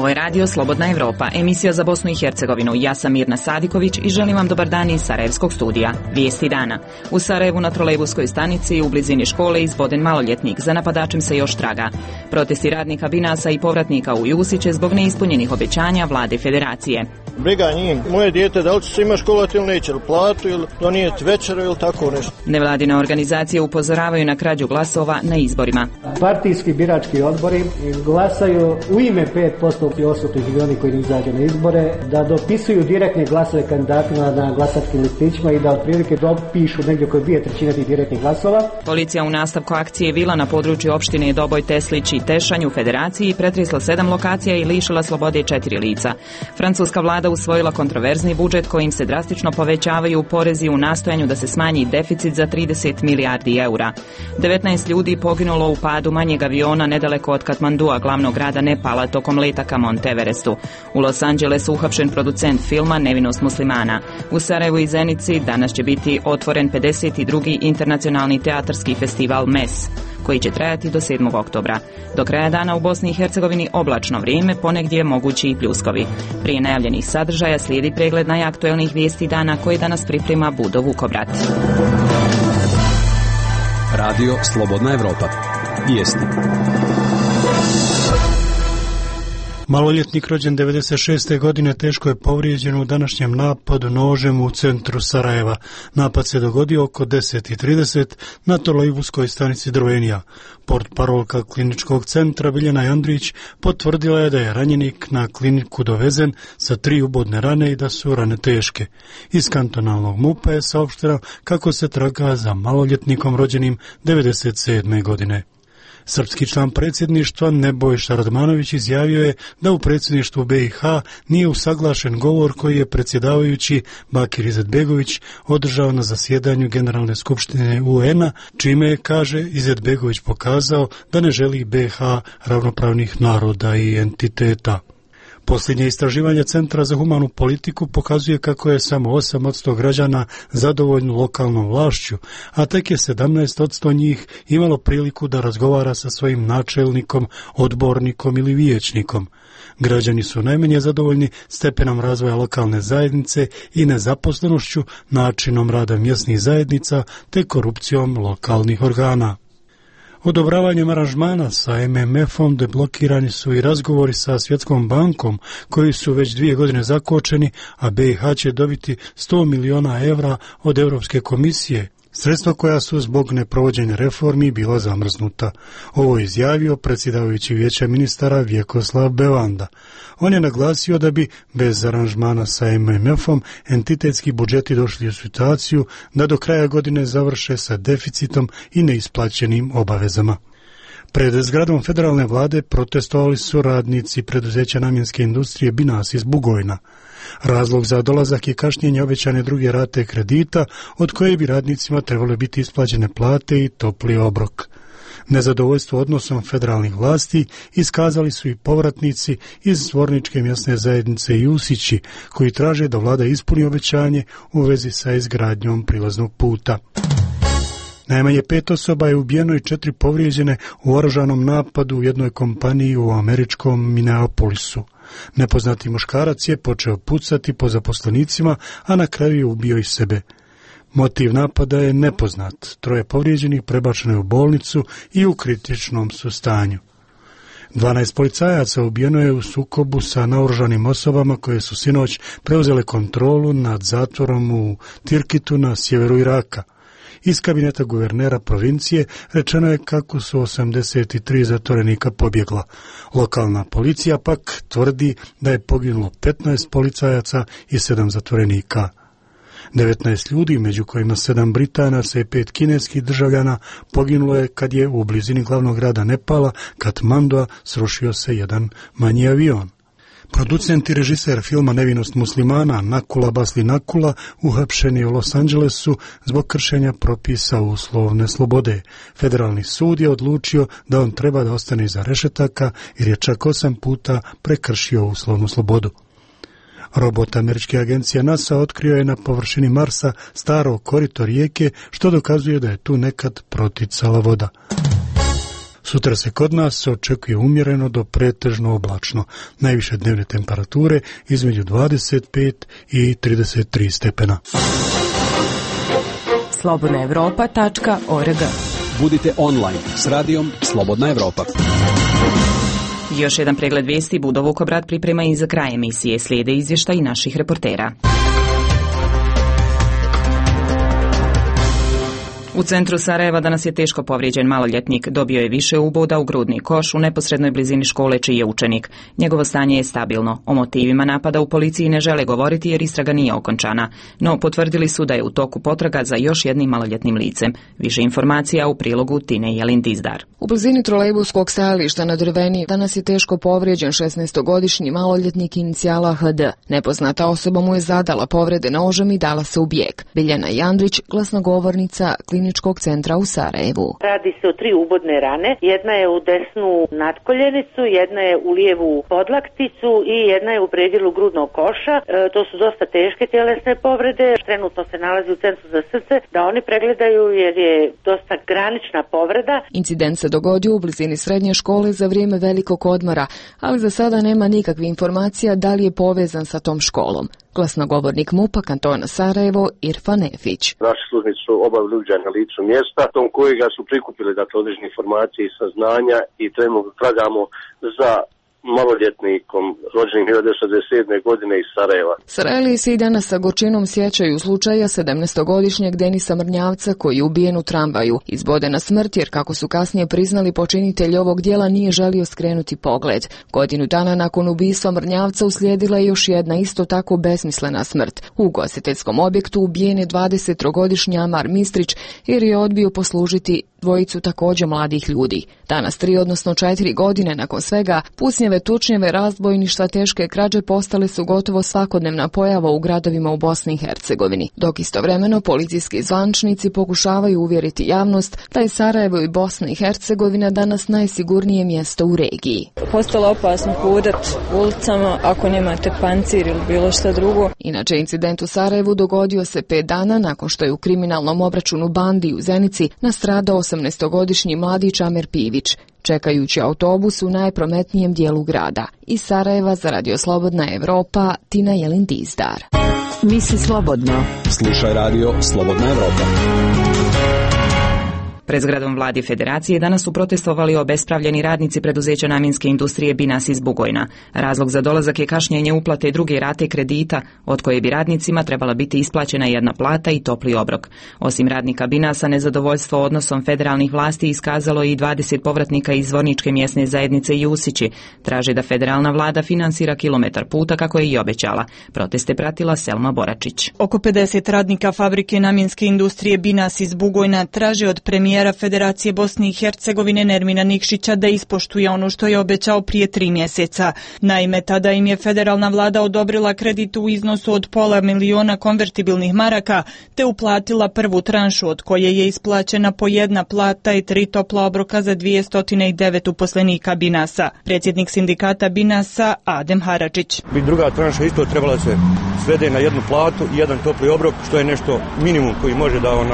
Ovo je radio Slobodna Evropa, emisija za Bosnu i Hercegovinu. Ja sam Mirna Sadiković i želim vam dobar dan iz Sarajevskog studija. Vijesti dana. U Sarajevu na trolejbuskoj stanici u blizini škole izboden maloljetnik. Za napadačem se još traga. Protesti radnika Binasa i povratnika u Jusiće zbog neispunjenih obećanja vlade federacije. Briga njih, moje dijete, da li će se ima školati ili neće, ili platu, ili donijeti večeru, ili tako nešto. Nevladine organizacije upozoravaju na krađu glasova na izborima. Partijski birački odbori glasaju u ime 5% odsutnih i oni koji ne izađu na izbore, da dopisuju direktne glasove kandidatima na glasačkim listićima i da otprilike dopišu negdje oko 2/3 tih direktnih glasova. Policija u nastavku akcije Vila na području opštine Doboj, Teslić i Tešanj u Federaciji pretresla 7 lokacija i lišila slobode 4 lica. Francuska vlada usvojila kontroverzni budžet kojim se drastično povećavaju porezi u nastojanju da se smanji deficit za 30 milijardi eura. 19 ljudi poginulo u padu manjeg aviona nedaleko od Katmandua, glavnog grada Nepala, tokom leta ka Monteverestu. U Los Angelesu uhapšen producent filma Nevinost muslimana. U Sarajevu i Zenici danas će biti otvoren 52. internacionalni teatarski festival MES, koji će trajati do 7. oktobra. Do kraja dana u Bosni i Hercegovini oblačno vrijeme, ponegdje mogući i pljuskovi. Prije najavljenih sadržaja slijedi pregled najaktuelnijih vijesti dana koje danas priprema Budo Vukobrat. Radio Slobodna Evropa. Vijesti. Maloljetnik rođen 96. godine teško je povrijeđen u današnjem napadu nožem u centru Sarajeva. Napad se dogodio oko 10:30 na trolejbuskoj stanici Drvenija. Portparolka kliničkog centra Biljana Andrić potvrdila je da je ranjenik na kliniku dovezen sa 3 ubodne rane i da su rane teške. Iz kantonalnog MUP-a je saopšteno kako se traga za maloljetnikom rođenim 97. godine. Srpski član predsjedništva Nebojša Radmanović izjavio je da u predsjedništvu BiH nije usaglašen govor koji je predsjedavajući Bakir Izetbegović održao na zasjedanju Generalne skupštine UN-a, čime je, kaže, Izetbegović pokazao da ne želi BiH ravnopravnih naroda i entiteta. Posljednje istraživanje Centra za humanu politiku pokazuje kako je samo 8% građana zadovoljno lokalnom vlašću, a tek je 17% njih imalo priliku da razgovara sa svojim načelnikom, odbornikom ili vijećnikom. Građani su najmanje zadovoljni stepenom razvoja lokalne zajednice i nezaposlenošću, načinom rada mjesnih zajednica te korupcijom lokalnih organa. Odobravanjem aranžmana sa MMF-om deblokirani su i razgovori sa Svjetskom bankom koji su već 2 godine zakočeni, a BiH će dobiti 100 miliona evra od Europske komisije, sredstva koja su zbog neprovođenja reformi bila zamrznuta. Ovo je izjavio predsjedavajući vijeća ministara Vjekoslav Bevanda. On je naglasio da bi bez aranžmana sa MMF-om entitetski budžeti došli u situaciju da do kraja godine završe sa deficitom i neisplaćenim obavezama. Pred zgradom federalne vlade protestovali su radnici preduzeća namjenske industrije Binas iz Bugojna. Razlog za dolazak je kašnjenje obećane druge rate kredita, od koje bi radnicima trebale biti isplaćene plate i topli obrok. Nezadovoljstvo odnosom federalnih vlasti iskazali su i povratnici iz Zvorničke mjesne zajednice Jusići, koji traže da vlada ispuni obećanje u vezi sa izgradnjom prilaznog puta. Najmanje 5 osoba je ubijeno i 4 povrijeđene u oružanom napadu u jednoj kompaniji u američkom Minneapolisu. Nepoznati muškarac je počeo pucati po zaposlenicima, a na kraju je ubio i sebe. Motiv napada je nepoznat. 3 povrijeđenih prebačeno je u bolnicu i u kritičnom su stanju. 12 policajaca ubijeno je u sukobu sa naoružanim osobama koje su sinoć preuzele kontrolu nad zatvorom u Tirkitu na sjeveru Iraka. Iz kabineta guvernera provincije rečeno je kako su 83 zatvorenika pobjegla. Lokalna policija pak tvrdi da je poginulo 15 policajaca i 7 zatvorenika. 19 ljudi, među kojima 7 Britanaca i 5 kineskih državljana, poginulo je kad je u blizini glavnog grada Nepala, Katmandua, srušio se jedan manji avion. Producent i režiser filma Nevinost muslimana Nakula Basli Nakula uhapšen je u Los Angelesu zbog kršenja propisa uslovne slobode. Federalni sud je odlučio da on treba da ostane iza rešetaka jer je čak 8 puta prekršio uslovnu slobodu. Robot američke agencije NASA otkrio je na površini Marsa staro korito rijeke, što dokazuje da je tu nekad proticala voda. Sutra se kod nas očekuje umjereno do pretežno oblačno. Najviše dnevne temperature između 25 i 33 stepena. slobodnaevropa.org. Budite online s radijom Slobodna Evropa. Još jedan pregled vijesti Budo Vukobrad priprema i za kraj emisije. Slijede izvještaj naših reportera. U centru Sarajeva danas je teško povrijeđen maloljetnik. Dobio je više uboda u grudni koš u neposrednoj blizini škole čiji je učenik. Njegovo stanje je stabilno. O motivima napada u policiji ne žele govoriti jer istraga nije okončana. No potvrdili su da je u toku potraga za još jednim maloljetnim licem. Više informacija u prilogu Tine Jelin-Dizdar. U blizini trolejbuskog stajališta na Drveni danas je teško povrijeđen 16-godišnji maloljetnik inicijala HD. Nepoznata osoba mu je zadala povrede nožem i dala se u bijeg. Biljana Jandrić, glasnogovornica Kliničkog centra u Sarajevu. Radi se o 3 ubodne rane. Jedna je u desnu natkoljenicu, jedna je u lijevu podlakticu i jedna je u predjelu grudnog koša. To su dosta teške tjelesne povrede. Trenutno se nalazi u centru za srce da oni pregledaju jer je dosta granična povreda. Incident se dogodio u blizini srednje škole za vrijeme velikog odmora, ali za sada nema nikakvih informacija da li je povezan sa tom školom. Glasnogovornik MUP-a kantona Sarajevo Irfan Efić. Naši službenici su obavili uviđaj na licu mjesta, tom kojega su prikupili određene informacije i saznanja i trenutno tragamo za maloljetnikom rođenim 1967. godine iz Sarajeva. Sarajeli se i danas sa gorčinom sjećaju slučaja 17-godišnjeg Denisa Mrnjavca koji je ubijen u tramvaju. Izboden na smrt jer, kako su kasnije priznali, počinitelj ovog djela nije želio skrenuti pogled. Godinu dana nakon ubistva Mrnjavca uslijedila je još jedna isto tako besmislena smrt. U ugostiteljskom objektu ubijen je 23-godišnji Amar Mistrić jer je odbio poslužiti dvojicu također mladih ljudi. Danas 3, odnosno 4 godine nakon svega, pucnjeve, tučnjeve, razbojništva, teške krađe postale su gotovo svakodnevna pojava u gradovima u Bosni i Hercegovini, dok istovremeno policijski zvančnici pokušavaju uvjeriti javnost da je Sarajevo i Bosna i Hercegovina danas najsigurnije mjesto u regiji. Postalo opasno hodat ulicama ako nemate pancir ili bilo šta drugo. Inače, incident u Sarajevu dogodio se 5 dana nakon što je u kriminalnom obračunu bandi u Zenici nastradao 18-godišnji mladić Amer Pivić, čekajući autobus u najprometnijem dijelu grada. Iz Sarajeva za Radio Slobodna Evropa, Tina Jelin-Dizdar. Misli slobodno. Slušaj Radio Slobodna Evropa. Pred zgradom Vladi Federacije danas su protestovali obespravljeni radnici preduzeća namjenske industrije Binas iz Bugojna. Razlog za dolazak je kašnjenje uplate druge rate kredita, od koje bi radnicima trebala biti isplaćena jedna plata i topli obrok. Osim radnika Binasa, nezadovoljstvo odnosom federalnih vlasti iskazalo i 20 povratnika iz Zvorničke mjesne zajednice Jusići. Traže da federalna vlada finansira kilometar puta kako je i obećala. Proteste pratila Selma Boračić. Oko 50 radnika fabrike namjenske industrije Binas iz Bugojna traže od premijera Federacije Bosne i Hercegovine Nermina Nikšića da ispoštuje ono što je obećao prije 3 mjeseca. Naime, tada im je federalna vlada odobrila kredit u iznosu od $500.000 konvertibilnih maraka, te uplatila prvu tranšu od koje je isplaćena po jedna plata i 3 topla obroka za 209 uposlenika Binasa. Predsjednik sindikata Binasa Adem Haradžić. Druga tranša isto trebala se svede na jednu platu i jedan topli obrok, što je nešto minimum koji može da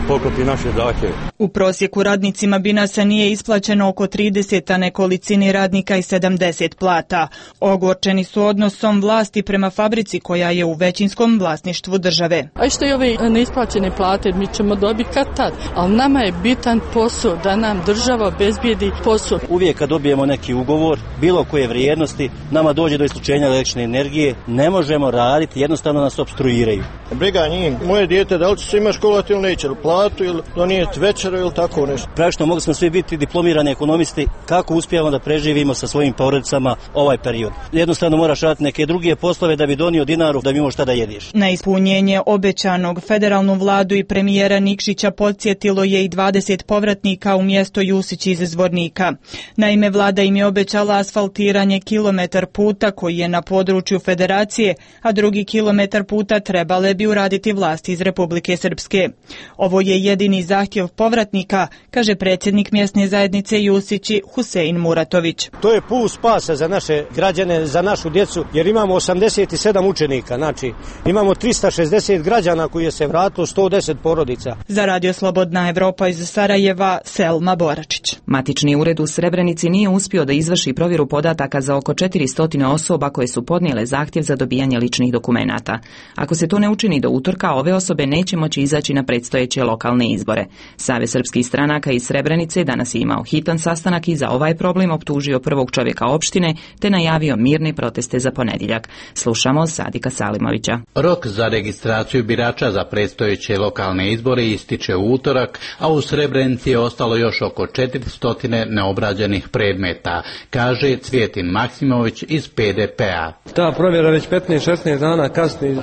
poklopi naše zahtjeve. U prosjeku radnicima Binasa nije isplaćeno oko 30, a nekolicini radnika i 70 plata. Ogorčeni su odnosom vlasti prema fabrici koja je u većinskom vlasništvu države. A što i ove neisplaćene plate mi ćemo dobiti kad tad, ali nama je bitan posao da nam država obezbijedi posao. Uvijek kad dobijemo neki ugovor, bilo koje vrijednosti, nama dođe do isključenja električne energije, ne možemo raditi, jednostavno nas opstruiraju. Briga njih, moje dijete, da li će se ima školovati ili neće, ili platu, ili donijeti večeru ili tako nešto. Praktično mogli smo svi biti diplomirani ekonomisti, kako uspijemo da preživimo sa svojim porodicama ovaj period. Jednostavno moraš raditi neke druge poslove da bi donio dinaru, da bi imao šta da jediš. Na ispunjenje obećanog federalnu vladu i premijera Nikšića podsjetilo je i 20 povratnika u mjesto Jusić iz Zvornika. Naime, vlada im je obećala asfaltiranje kilometar puta koji je na području Federacije, a drugi kilometar puta trebale bi uraditi vlasti iz Republike Srpske. Ovo je jedini zahtjev povratnika povratnika, kaže predsjednik mjesne zajednice Jusići Husein Muratović. To je put spasa za naše građane, za našu djecu, jer imamo 87 učenika, znači imamo 360 građana koji je se vratilo, 110 porodica. Za Radio Slobodna Evropa iz Sarajeva, Selma Boračić. Matični ured u Srebrenici nije uspio da izvrši provjeru podataka za oko 400 osoba koje su podnijele zahtjev za dobijanje ličnih dokumenata. Ako se to ne učini do utorka, ove osobe neće moći izaći na predstojeće lokalne izbore. Savez srpskih stranaka iz Srebrenice danas je imao hitan sastanak i za ovaj problem optužio prvog čovjeka opštine te najavio mirne proteste za ponedjeljak. Slušamo Sadika Salimovića. Rok za registraciju birača za predstojeće lokalne izbore ističe u utorak, a u Srebrenici je ostalo još oko 400 neobrađenih predmeta, kaže Cvjetin Maksimović iz PDP-a. Ta provjera već 15-16 dana kasni.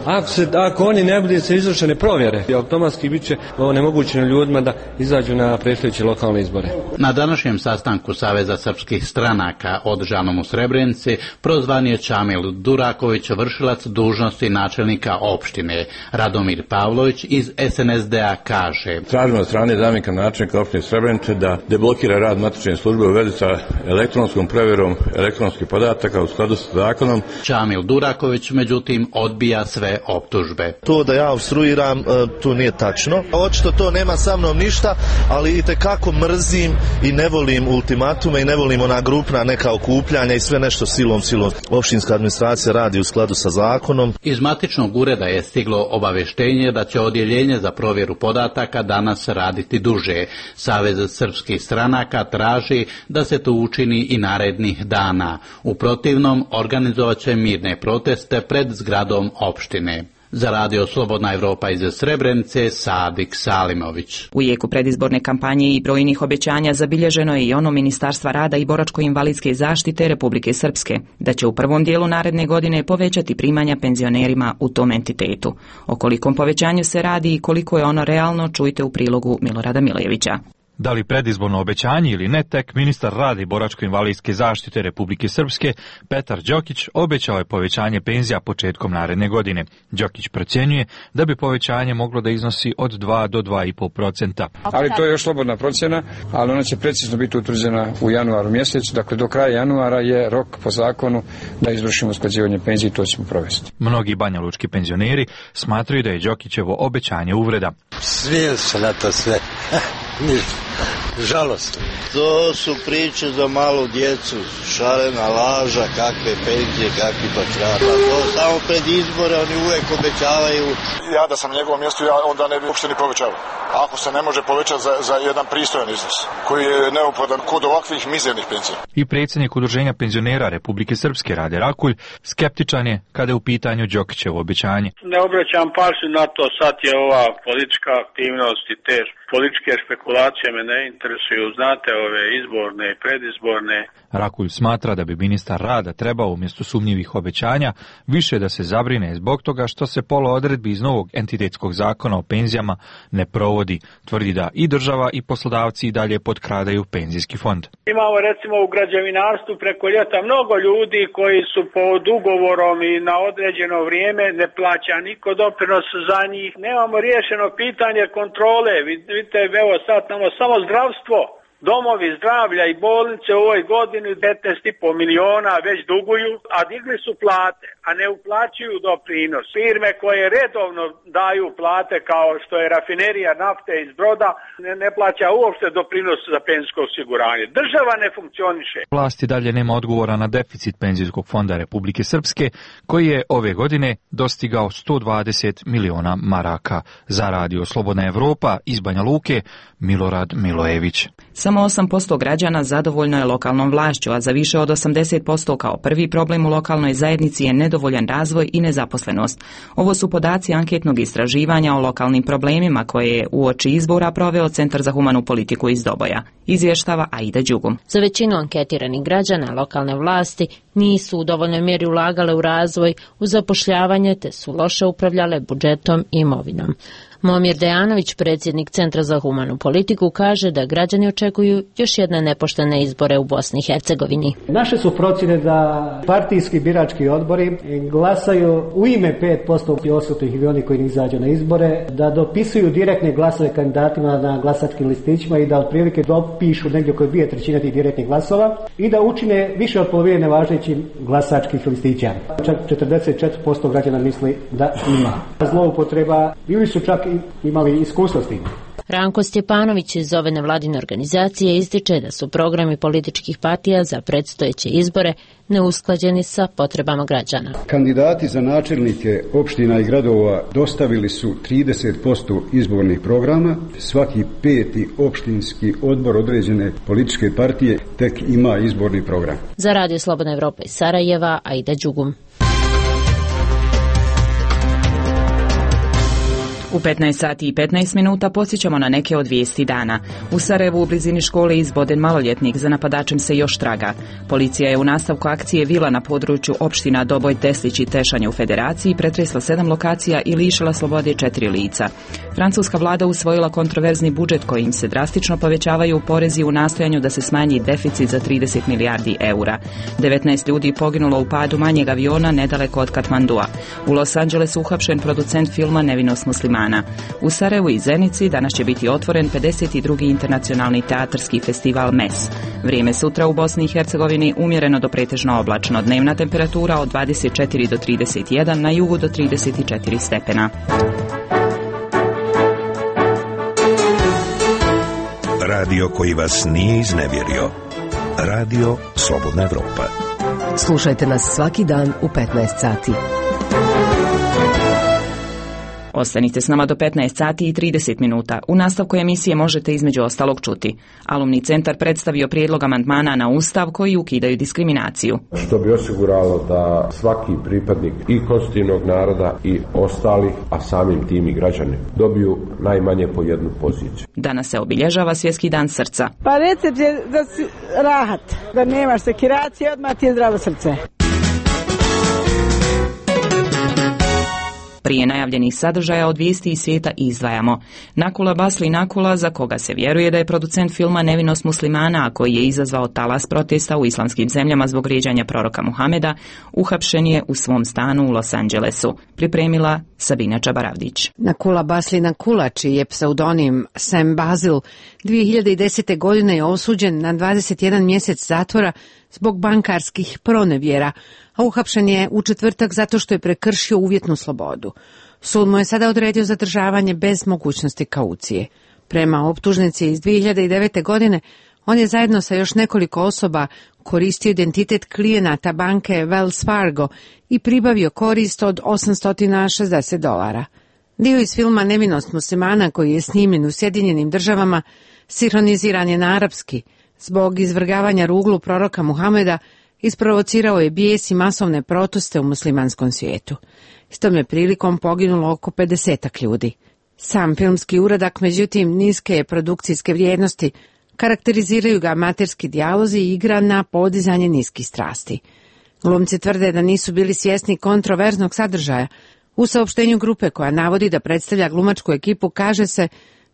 Ako oni ne budu se izvršene provjere, automatski bit će onemogućeno ljudima da izađu na predstojeće lokalne izbore. Na današnjem sastanku Saveza srpskih stranaka održanom u Srebrenici prozvan je Čamil Duraković, vršilac dužnosti načelnika opštine. Radomir Pavlović iz SNSD-a kaže: Tražimo od strane zamjenika načelnika opštine Srebrenice da deblokira rad matične službe u vezi sa elektronskom provjerom elektronskih podataka u skladu sa zakonom. Čamil Duraković međutim odbija sve optužbe. To da ja obstruiram, to nije tačno. Očito to nema sa mnom ništa, ali itekako mrzim i ne volim ultimatume i ne volim ona grupna neka okupljanja i sve nešto silom. Opštinska administracija radi u skladu sa zakonom. Iz matičnog ureda je stiglo obavještenje da će odjeljenje za provjeru podataka danas raditi duže. Savez srpskih stranaka traži da se to učini i narednih dana. U protivnom organizovat će mirne proteste pred zgradom opštine. Za Radio Slobodna Evropa iz Srebrenice, Sadik Salimović. U jeku predizborne kampanje i brojnih obećanja zabilježeno je i ono Ministarstva rada i boračko-invalidske zaštite Republike Srpske, da će u prvom dijelu naredne godine povećati primanja penzionerima u tom entitetu. O kolikom povećanju se radi i koliko je ono realno, čujte u prilogu Milorada Milejevića. Da li predizborno obećanje ili ne, tek ministar rada i boračko-invalidske zaštite Republike Srpske Petar Đokić obećao je povećanje penzija početkom naredne godine. Đokić procjenjuje da bi povećanje moglo da iznosi od 2 do 2,5%. Ali to je još slobodna procjena, ali ona će precizno biti utvrđena u januaru mjesecu. Dakle, do kraja januara je rok po zakonu da izvršimo usklađivanje penzije i to ćemo provesti. Mnogi banjalučki penzioneri smatraju da je Đokićevo obećanje uvreda. Smijem se na to sve. Žalostno. To su priče za malu djecu, šarena laža, kakve penzije, kakvi patrata. To samo pred izbore oni uvijek obećavaju. Ja da sam na njegovom mjestu, ja onda ne bi uopšte ni povećavao. Ako se ne može povećati za jedan pristojan iznos, koji je neophodan kod ovakvih mizernih penzija. I predsjednik Udruženja penzionera Republike Srpske Rade Rakulj skeptičan je kada je u pitanju Đokićevo obećanje. Ne obraćam pažnju na to, sad je ova politička aktivnost i te političke špekulacije me ne interesuju, znate, ove izborne i predizborne. Rakulj smatra da bi ministar rada trebao umjesto sumnjivih obećanja više da se zabrine zbog toga što se pola odredbi iz novog entitetskog zakona o penzijama ne provodi. Tvrdi da i država i poslodavci i dalje potkradaju penzijski fond. Imamo recimo u građevinarstvu preko ljeta mnogo ljudi koji su pod ugovorom i na određeno vrijeme, ne plaća niko doprinos za njih. Nemamo riješeno pitanje kontrole. Vidite, evo sad samo zdravstvo. Domovi zdravlja i bolnice u ovoj godini 15,5 miliona već duguju, a digli su plate, a ne uplaćuju doprinos. Firme koje redovno daju plate kao što je rafinerija nafte iz Broda ne plaća uopšte doprinos za penzijsko osiguranje. Država ne funkcioniše. Vlast i dalje nema odgovora na deficit penzijskog fonda Republike Srpske, koji je ove godine dostigao 120 miliona maraka. Za Radio Slobodna Evropa iz Banja Luke, Milorad Milojević. Samo 8% građana zadovoljno je lokalnom vlašću, a za više od 80% kao prvi problem u lokalnoj zajednici je nedovoljan razvoj i nezaposlenost. Ovo su podaci anketnog istraživanja o lokalnim problemima koje je uoči izbora proveo Centar za humanu politiku iz Doboja. Izvještava Aida Đugum. Za većinu anketiranih građana lokalne vlasti nisu u dovoljnoj mjeri ulagale u razvoj, u zapošljavanje te su loše upravljale budžetom i imovinom. Momir Dejanović, predsjednik Centra za humanu politiku, kaže da građani očekuju još jedne nepoštene izbore u Bosni i Hercegovini. Naše su procjene da partijski birački odbori glasaju u ime 5% osutih ili oni koji ne izađu na izbore, da dopisuju direktne glasove kandidatima na glasačkim listićima i da otprilike dopišu negdje oko 2/3 tih direktnih glasova i da učine više od polovine nevažećim glasačkih listića. Čak 44% građana misli da ima zloupotreba ili su čak imali iskustvo s tim. Ranko Stjepanović iz ove nevladine organizacije ističe da su programi političkih partija za predstojeće izbore neusklađeni sa potrebama građana. Kandidati za načelnike opština i gradova dostavili su 30% izbornih programa. Svaki 5. opštinski odbor određene političke partije tek ima izborni program. Za Radio Slobodna Evropa iz Sarajeva, Aida Đugum. U 15 sati i 15 minuta posjećamo na neke od vijesti dana. U Sarajevu u blizini škole izboden maloljetnik, za napadačem se još traga. Policija je u nastavku akcije Vila na području opština Doboj, Teslić i Tešanj u Federaciji pretresla 7 lokacija i lišila slobode 4 lica. Francuska vlada usvojila kontroverzni budžet kojim se drastično povećavaju porezi u nastojanju da se smanji deficit za 30 milijardi eura. 19 ljudi poginulo u padu manjeg aviona nedaleko od Katmandua. U Los Angelesu uhapšen producent filma Nevinost muslimana. U Sarajevu i Zenici danas će biti otvoren 52. internacionalni teatarski festival MES. Vrijeme sutra u Bosni i Hercegovini umjereno do pretežno oblačno. Dnevna temperatura od 24 do 31, na jugu do 34 stepena. Radio koji vas nije iznevjerio. Radio Slobodna Evropa. Slušajte nas svaki dan u 15 sati. Ostanite s nama do 15 sati i 30 minuta. U nastavku emisije možete između ostalog čuti. Alumni centar predstavio prijedlog amandmana na Ustav koji ukidaju diskriminaciju. Što bi osiguralo da svaki pripadnik i konstitutivnog naroda i ostalih, a samim tim i građani, dobiju najmanje po jednu poziciju. Danas se obilježava Svjetski dan srca. Pa recept je da si rahat, da nemaš sekiracije, odmah ti je zdravo srce. Prije najavljenih sadržaja od vijesti iz svijeta izdvajamo. Nakula Basli Nakula, za koga se vjeruje da je producent filma Nevinost muslimana, a koji je izazvao talas protesta u islamskim zemljama zbog vrijeđanja proroka Muhameda, uhapšen je u svom stanu u Los Angelesu. Pripremila Sabina Čabaravdić. Nakula Basli Nakula, čiji je pseudonim Sam Basil, 2010. godine je osuđen na 21 mjesec zatvora zbog bankarskih pronevjera, a uhapšen je u četvrtak zato što je prekršio uvjetnu slobodu. Sud mu je sada odredio zadržavanje bez mogućnosti kaucije. Prema optužnici iz 2009. godine, on je zajedno sa još nekoliko osoba koristio identitet klijenata banke Wells Fargo i pribavio korist od $860. Dio iz filma Nevinost muslimana, koji je snimljen u Sjedinjenim Državama, sinhroniziran je na arapski. Zbog izvrgavanja ruglu proroka Muhameda isprovocirao je bijes i masovne proteste u muslimanskom svijetu. Istom je prilikom poginulo oko 50 ljudi. Sam filmski uradak, međutim, niske je produkcijske vrijednosti, karakteriziraju ga amaterski dijalozi i igra na podizanje niskih strasti. Glumci tvrde da nisu bili svjesni kontroverznog sadržaja. U saopštenju grupe koja navodi da predstavlja glumačku ekipu kaže se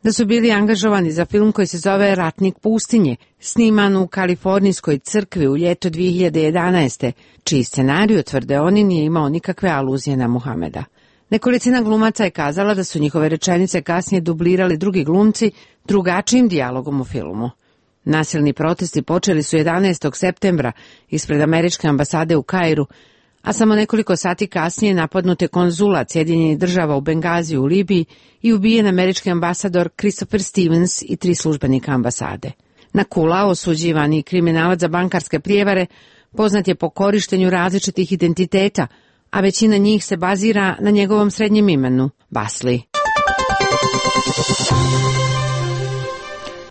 da su bili angažovani za film koji se zove Ratnik pustinje, sniman u kalifornijskoj crkvi u ljeto 2011. čiji scenarij, tvrde oni, nije imao nikakve aluzije na Muhameda. Nekolicina glumaca je kazala da su njihove rečenice kasnije dublirali drugi glumci drugačijim dijalogom u filmu. Nasilni protesti počeli su 11. septembra ispred američke ambasade u Kairu, a samo nekoliko sati kasnije napadnut je konzulat Sjedinjenih Država u Bengaziju u Libiji i ubijen američki ambasador Christopher Stevens i 3 službenika ambasade. Nakula, osuđivani kriminalac za bankarske prijevare, poznat je po korištenju različitih identiteta, a većina njih se bazira na njegovom srednjem imenu, Basli.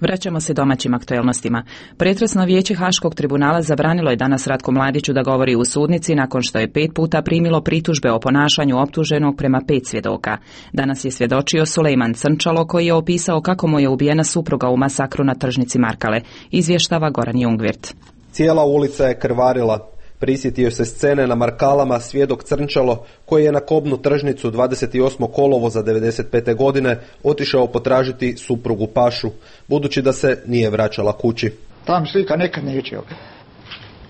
Vraćamo se domaćim aktuelnostima. Pretresno vijeće Haškog tribunala zabranilo je danas Ratku Mladiću da govori u sudnici nakon što je 5 puta primilo pritužbe o ponašanju optuženog prema 5 svjedoka. Danas je svjedočio Sulejman Crnčalo, koji je opisao kako mu je ubijena supruga u masakru na tržnici Markale. Izvještava Goran Jungvirt. Cijela ulica je krvarila. Prisjetio se scene na Markalama svjedok Crnčalo koji je na Kobnu tržnicu 28. kolovoza 95. godine otišao potražiti suprugu Pašu, budući da se nije vraćala kući. Tam slika nekad neće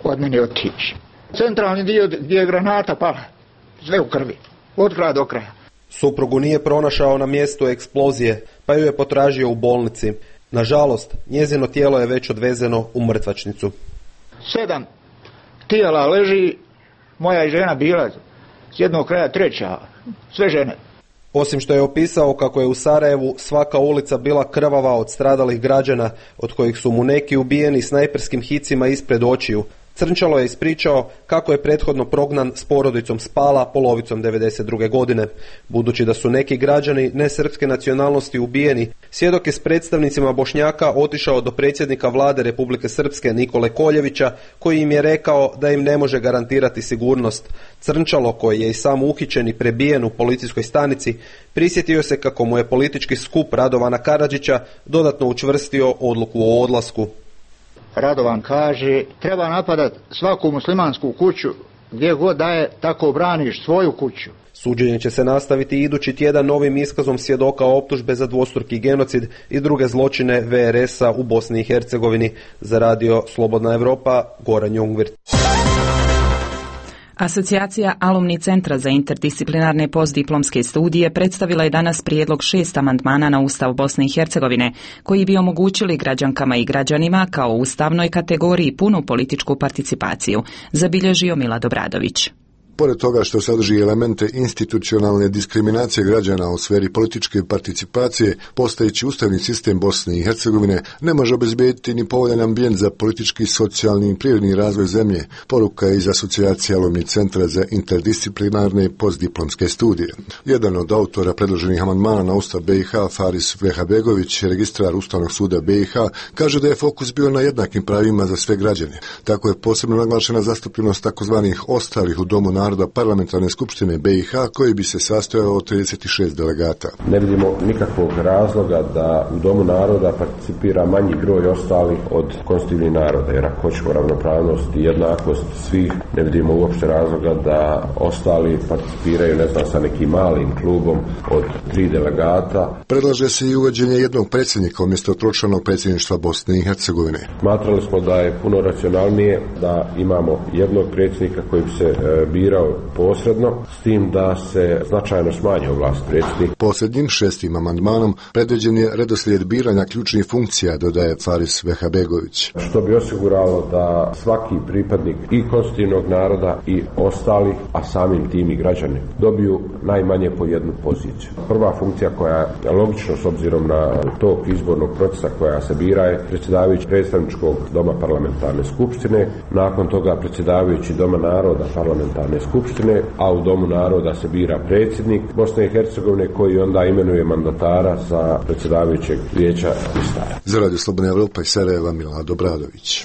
od mene otići. Centralni dio gdje je granata pala, sve u krvi, od kraja do kraja. Suprugu nije pronašao na mjestu eksplozije, pa ju je potražio u bolnici. Nažalost, njezino tijelo je već odvezeno u mrtvačnicu. 7 tijela leži, moja je žena bila s jednog kraja treća, sve žene. Osim što je opisao kako je u Sarajevu svaka ulica bila krvava od stradalih građana, od kojih su mu neki ubijeni snajperskim hicima ispred očiju, Crnčalo je ispričao kako je prethodno prognan s porodicom Spala polovicom 92. godine. Budući da su neki građani nesrpske nacionalnosti ubijeni, svjedok je s predstavnicima Bošnjaka otišao do predsjednika vlade Republike Srpske Nikole Koljevića, koji im je rekao da im ne može garantirati sigurnost. Crnčalo, koji je i sam uhićen i prebijen u policijskoj stanici, prisjetio se kako mu je politički skup Radovana Karadžića dodatno učvrstio odluku o odlasku. Radovan kaže, treba napadati svaku muslimansku kuću, gdje god da je, tako braniš svoju kuću. Suđenje će se nastaviti idući tjedan novim iskazom svjedoka optužbe za dvostruki genocid i druge zločine VRS-a u Bosni i Hercegovini. Za radio Slobodna Evropa, Goran Jungvirt. Asocijacija Alumni centra za interdisciplinarne postdiplomske studije predstavila je danas prijedlog 6 amandmana na Ustav Bosne i Hercegovine, koji bi omogućili građankama i građanima kao ustavnoj kategoriji punu političku participaciju, zabilježio Milad Obradović. Pored toga što sadrži elemente institucionalne diskriminacije građana u sferi političke participacije, postojeći ustavni sistem Bosne i Hercegovine ne može obezbediti ni povoljan ambijent za politički, socijalni i prirodni razvoj zemlje, poruka je iz Asocijacije Alumni centra za interdisciplinarne postdiplomske studije. Jedan od autora predloženih amandmana na Ustav BiH, Faris Vehabegović, registrar Ustavnog suda BiH, kaže da je fokus bio na jednakim pravima za sve građane. Tako je posebno naglašena zastupljenost takozvanih ostalih u Domu naroda Parlamentarne skupštine BiH, koji bi se sastojao od 36 delegata. Ne vidimo nikakvog razloga da u Domu naroda participira manji broj ostalih od konstitutivnih naroda, jer ako hoćemo ravnopravnost i jednakost svih, ne vidimo uopšte razloga da ostali participiraju, ne znam, sa nekim malim klubom od 3 delegata. Predlaže se i uvođenje jednog predsjednika umjesto tročlanog predsjedništva Bosne i Hercegovine. Smatrali smo da je puno racionalnije da imamo jednog predsjednika koji bi se birao posredno, s tim da se značajno smanji ovlast predsjednika. Posljednjim 6. amandmanom predviđen je redoslijed biranja ključnih funkcija, dodaje Faris Vehabegović. Što bi osiguralo da svaki pripadnik i konstitutivnog naroda i ostalih, a samim tim i građani, dobiju najmanje po jednu poziciju. Prva funkcija koja je logično s obzirom na tok izbornog procesa koja se bira je predsjedavajući predstavničkog doma parlamentarne skupštine, nakon toga predsjedavajući doma naroda parlamentarne skupštine, a u Domu naroda se bira predsjednik Bosne i Hercegovine koji onda imenuje mandatara za predsjedavajućeg vijeća ministara. Za radio Slobodna Evropa iz Sarajeva, Milad Obradović.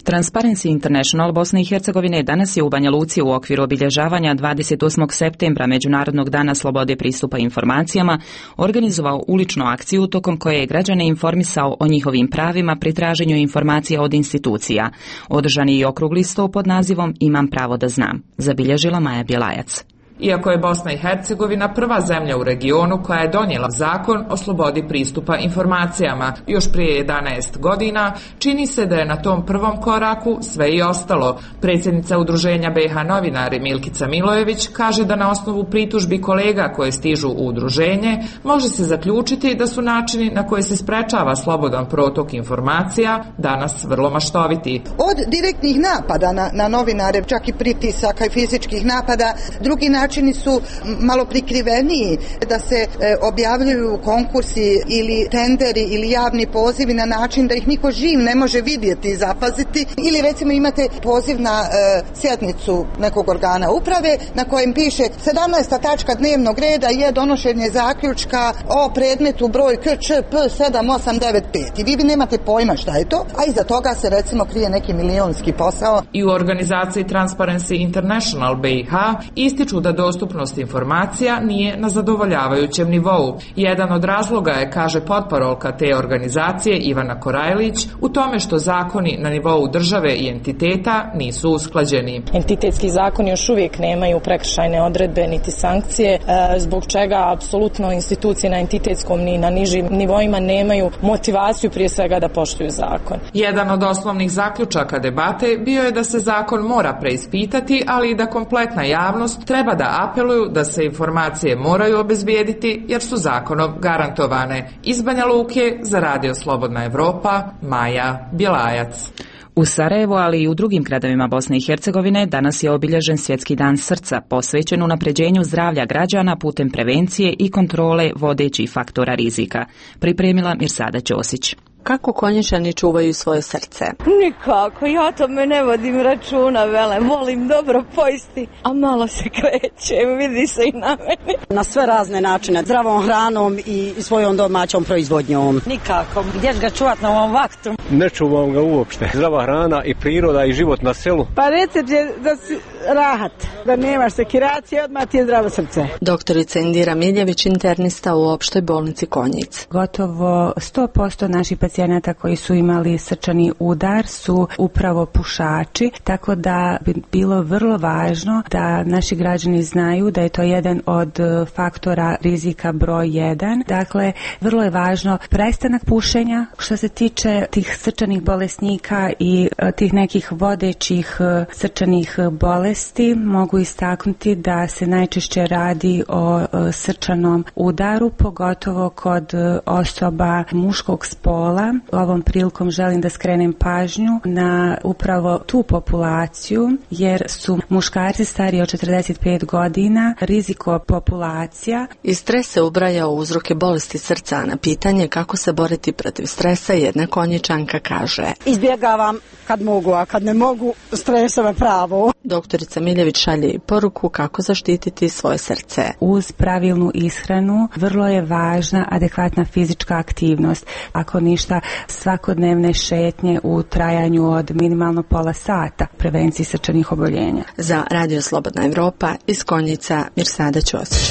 Transparency International Bosne i Hercegovine danas je u Banja Luci u okviru obilježavanja 28. septembra Međunarodnog dana slobode pristupa informacijama organizovao uličnu akciju tokom koje je građane informisao o njihovim pravima pri traženju informacija od institucija. Održan je i okrugli sto pod nazivom Imam pravo da znam, zabilježila Maja Bjelajac. Iako je Bosna i Hercegovina prva zemlja u regionu koja je donijela zakon o slobodi pristupa informacijama još prije 11 godina, čini se da je na tom prvom koraku sve i ostalo. Predsjednica Udruženja BiH novinari Milkica Milojević kaže da na osnovu pritužbi kolega koje stižu u udruženje može se zaključiti da su načini na koje se sprečava slobodan protok informacija danas vrlo maštoviti. Od direktnih napada na novinare, čak i pritisaka i fizičkih napada, drugi načini su malo prikriveniji, da se objavljuju konkursi ili tenderi ili javni pozivi na način da ih niko živ ne može vidjeti i zapaziti, ili recimo imate poziv na sjednicu nekog organa uprave na kojem piše 17. tačka dnevnog reda je donošenje zaključka o predmetu broj KČP 7895 i vi nemate pojma šta je to, a iza toga se recimo krije neki milionski posao. I u organizaciji Transparency International BiH ističu da dostupnost informacija nije na zadovoljavajućem nivou. Jedan od razloga je, kaže potparolka te organizacije Ivana Korajlić, u tome što zakoni na nivou države i entiteta nisu usklađeni. Entitetski zakoni još uvijek nemaju prekršajne odredbe niti sankcije, zbog čega apsolutno institucije na entitetskom ni na nižim nivoima nemaju motivaciju prije svega da poštuju zakon. Jedan od osnovnih zaključaka debate bio je da se zakon mora preispitati, ali i da kompletna javnost treba da apeluju da se informacije moraju obezbijediti jer su zakonom garantovane. Iz Banja Luke za Radio Slobodna Evropa, Maja Bjelajac. U Sarajevu, ali i u drugim gradovima Bosne i Hercegovine danas je obilježen Svjetski dan srca, posvećen unapređenju zdravlja građana putem prevencije i kontrole vodećih faktora rizika. Pripremila Mirsada Ćosić. Kako Konjičani čuvaju svoje srce? Nikako, ja tome ne vodim računa, volim dobro pojesti, a malo se krećem, vidi se i na meni. Na sve razne načine, zdravom hranom i svojom domaćom proizvodnjom. Nikako, gdje ga čuvat na ovom vaktu? Ne čuvam ga uopšte. Zdrava hrana i priroda i život na selu. Pa recept je da si rahat, da nemaš sekiracije, odmah ti je zdravo srce. Doktorica Indira Miljević, internista u opštoj bolnici Konjic. Gotovo 100% naših pacijenata koji su imali srčani udar su upravo pušači, tako da bi bilo vrlo važno da naši građani znaju da je to jedan od faktora rizika broj 1. Dakle, vrlo je važno prestanak pušenja. Što se tiče tih srčanih bolesnika i tih nekih vodećih srčanih bolesti, mogu istaknuti da se najčešće radi o srčanom udaru, pogotovo kod osoba muškog spola. Ovom prilikom želim da skrenem pažnju na upravo tu populaciju, jer su muškarci stariji od 45 godina riziko populacija. I stres se ubraja u uzroke bolesti srca. Na pitanje kako se boriti protiv stresa, jedna Konjičanka kaže: izbjegavam kad mogu, a kad ne mogu, stresove pravo. Doktorica Miljević šalje i poruku kako zaštititi svoje srce. Uz pravilnu ishranu vrlo je važna adekvatna fizička aktivnost. Ako ništa, svakodnevne šetnje u trajanju od minimalno pola sata, prevenciji srčanih oboljenja. Za Radio Slobodna Evropa iz Konjica, Mirsada Ćosić.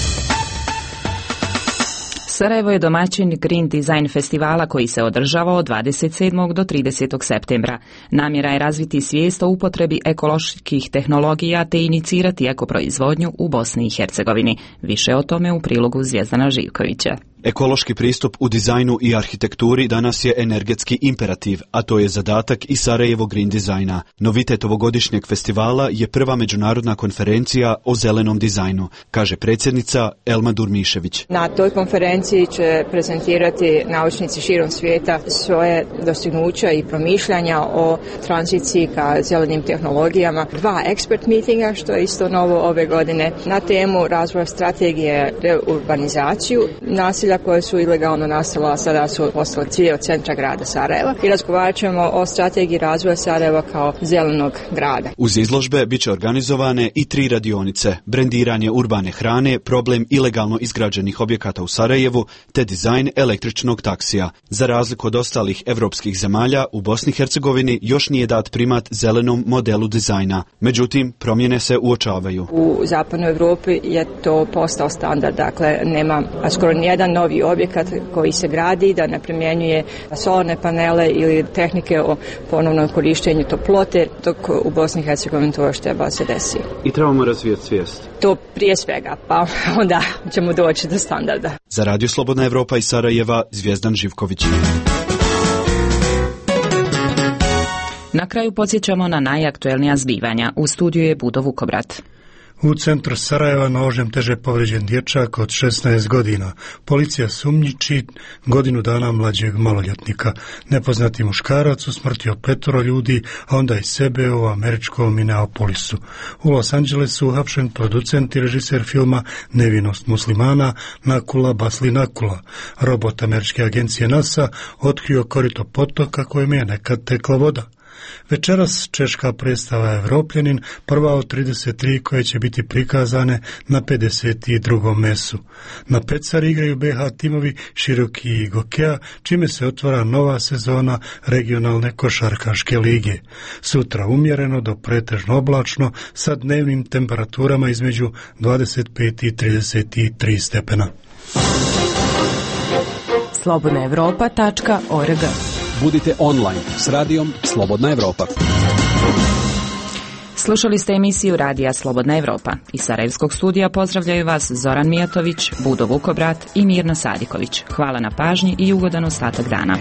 Sarajevo je domaćin Green Design festivala koji se održava od 27. do 30. septembra. Namjera je razviti svijest o upotrebi ekoloških tehnologija te inicirati ekoproizvodnju u Bosni i Hercegovini. Više o tome u prilogu Zvijezdana Živkovića. Ekološki pristup u dizajnu i arhitekturi danas je energetski imperativ, a to je zadatak i Sarajevo Green Designa. Novitet ovogodišnjeg festivala je prva međunarodna konferencija o zelenom dizajnu, kaže predsjednica Elma Durmišević. Na toj konferenciji će prezentirati naučnici širom svijeta svoje dostignuća i promišljanja o tranziciji ka zelenim tehnologijama. 2 expert meetinga, što je isto novo ove godine, na temu razvoja strategije reurbanizaciju naselja koje su ilegalno nastala, a sada su postale cilj od centra grada Sarajeva, i razgovarat ćemo o strategiji razvoja Sarajeva kao zelenog grada. Uz izložbe bit će organizovane i 3 radionice: brendiranje urbane hrane, problem ilegalno izgrađenih objekata u Sarajevu, te dizajn električnog taksija. Za razliku od ostalih evropskih zemalja, u Bosni i Hercegovini još nije dat primat zelenom modelu dizajna. Međutim, promjene se uočavaju. U zapadnoj Europi je to postao standard, dakle nema skoro nijedan novi objekat koji se gradi da ne primjenjuje solarne panele ili tehnike o ponovnom korištenju toplote, dok u Bosni i Hercegovini to još treba se desi. I trebamo razvijeti svijest. To prije svega, pa onda ćemo doći do standarda. Za Radio Slobodna Evropa iz Sarajeva, Zvijezdan Živković. Na kraju podsjećamo na najaktuelnija zbivanja. U studiju je Budo Vukobrat. U centru Sarajeva nožem teže povrijeđen dječak od 16 godina. Policija sumnjiči godinu dana mlađeg maloljetnika. Nepoznati muškarac usmrtio 5 ljudi, a onda i sebe u američkom Minneapolisu. U Los Angelesu uhapšen producent i režiser filma Nevinost muslimana Nakula Basli Nakula. Robot američke agencije NASA otkrio korito potoka kojem je nekad tekla voda. Večeras češka predstava Evropljanin, prva od 33 koje će biti prikazane na 52. mesu. Na Pecari igraju BH timovi Široki i Gokea, čime se otvara nova sezona regionalne košarkaške lige. Sutra umjereno do pretežno oblačno sa dnevnim temperaturama između 25 i 33 stepena. slobodnaevropa.org. Budite online s radijom Slobodna Evropa. Slušali ste emisiju Radija Slobodna Evropa. Iz Sarajevskog studija pozdravljaju vas Zoran Mijatović, Budo Vukobrat i Mirna Sadiković. Hvala na pažnji i ugodan ostatak dana.